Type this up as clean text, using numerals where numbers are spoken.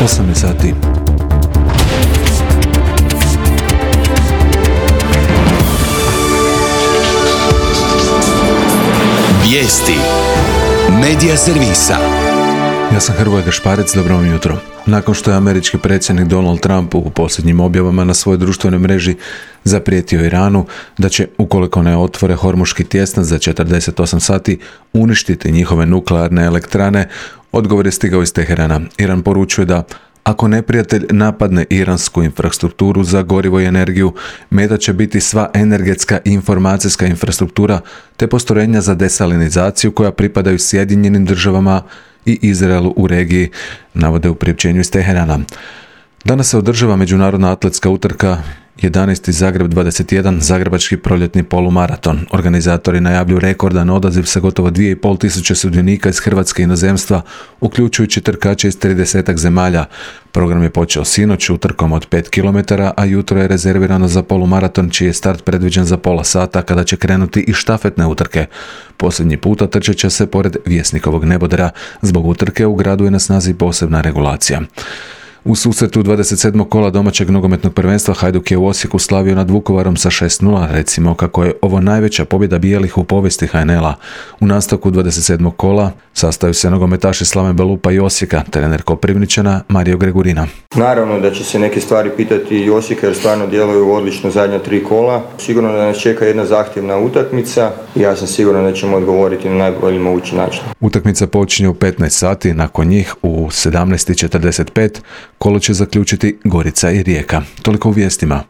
8 sati. Vijesti Medija servisa. Ja sam Hrvoje Gašparec, dobro vam jutro. Nakon što je američki predsjednik Donald Trump u posljednjim objavama na svojoj društvenoj mreži zaprijetio Iranu da će, ukoliko ne otvore Hormuški tjesnac za 48 sati, uništiti njihove nuklearne elektrane, odgovor je stigao iz Teherana. Iran poručuje da ako neprijatelj napadne iransku infrastrukturu za gorivo i energiju, meta će biti sva energetska i informacijska infrastruktura te postrojenja za desalinizaciju koja pripadaju Sjedinjenim državama i Izraelu u regiji, navode u priopćenju iz Teherana. Danas se održava međunarodna atletska utrka 11. Zagreb 21, zagrebački proljetni polumaraton. Organizatori najavljuju rekordan odaziv sa gotovo 2500 sudionika iz Hrvatske i inozemstva, uključujući trkače iz 30 zemalja. Program je počeo sinoć utrkom od 5 km, a jutro je rezervirano za polumaraton, čiji je start predviđen za pola sata, kada će krenuti i štafetne utrke. Posljednji puta trčat će se pored Vjesnikovog nebodera. Zbog utrke u gradu je na snazi posebna regulacija. U susretu 27. kola domaćeg nogometnog prvenstva Hajduk je u Osijeku slavio nad Vukovarom sa 6:0, recimo kako je ovo najveća pobjeda bijelih u povijesti HNL-a. U nastavku 27. kola sastaju se nogometaši Slaven Belupa i Osijeka, trener Koprivničana Mario Gregurina. Naravno da će se neke stvari pitati i Osijeka jer stvarno djeluju odlično zadnja 3 kola. Sigurno da nas čeka jedna zahtjevna utakmica i ja sam siguran da ćemo odgovoriti na najbolji mogući način. Utakmica počinje u 15 sati, nakon njih u 17:45 kolo će zaključiti Gorica i Rijeka. Toliko u vijestima.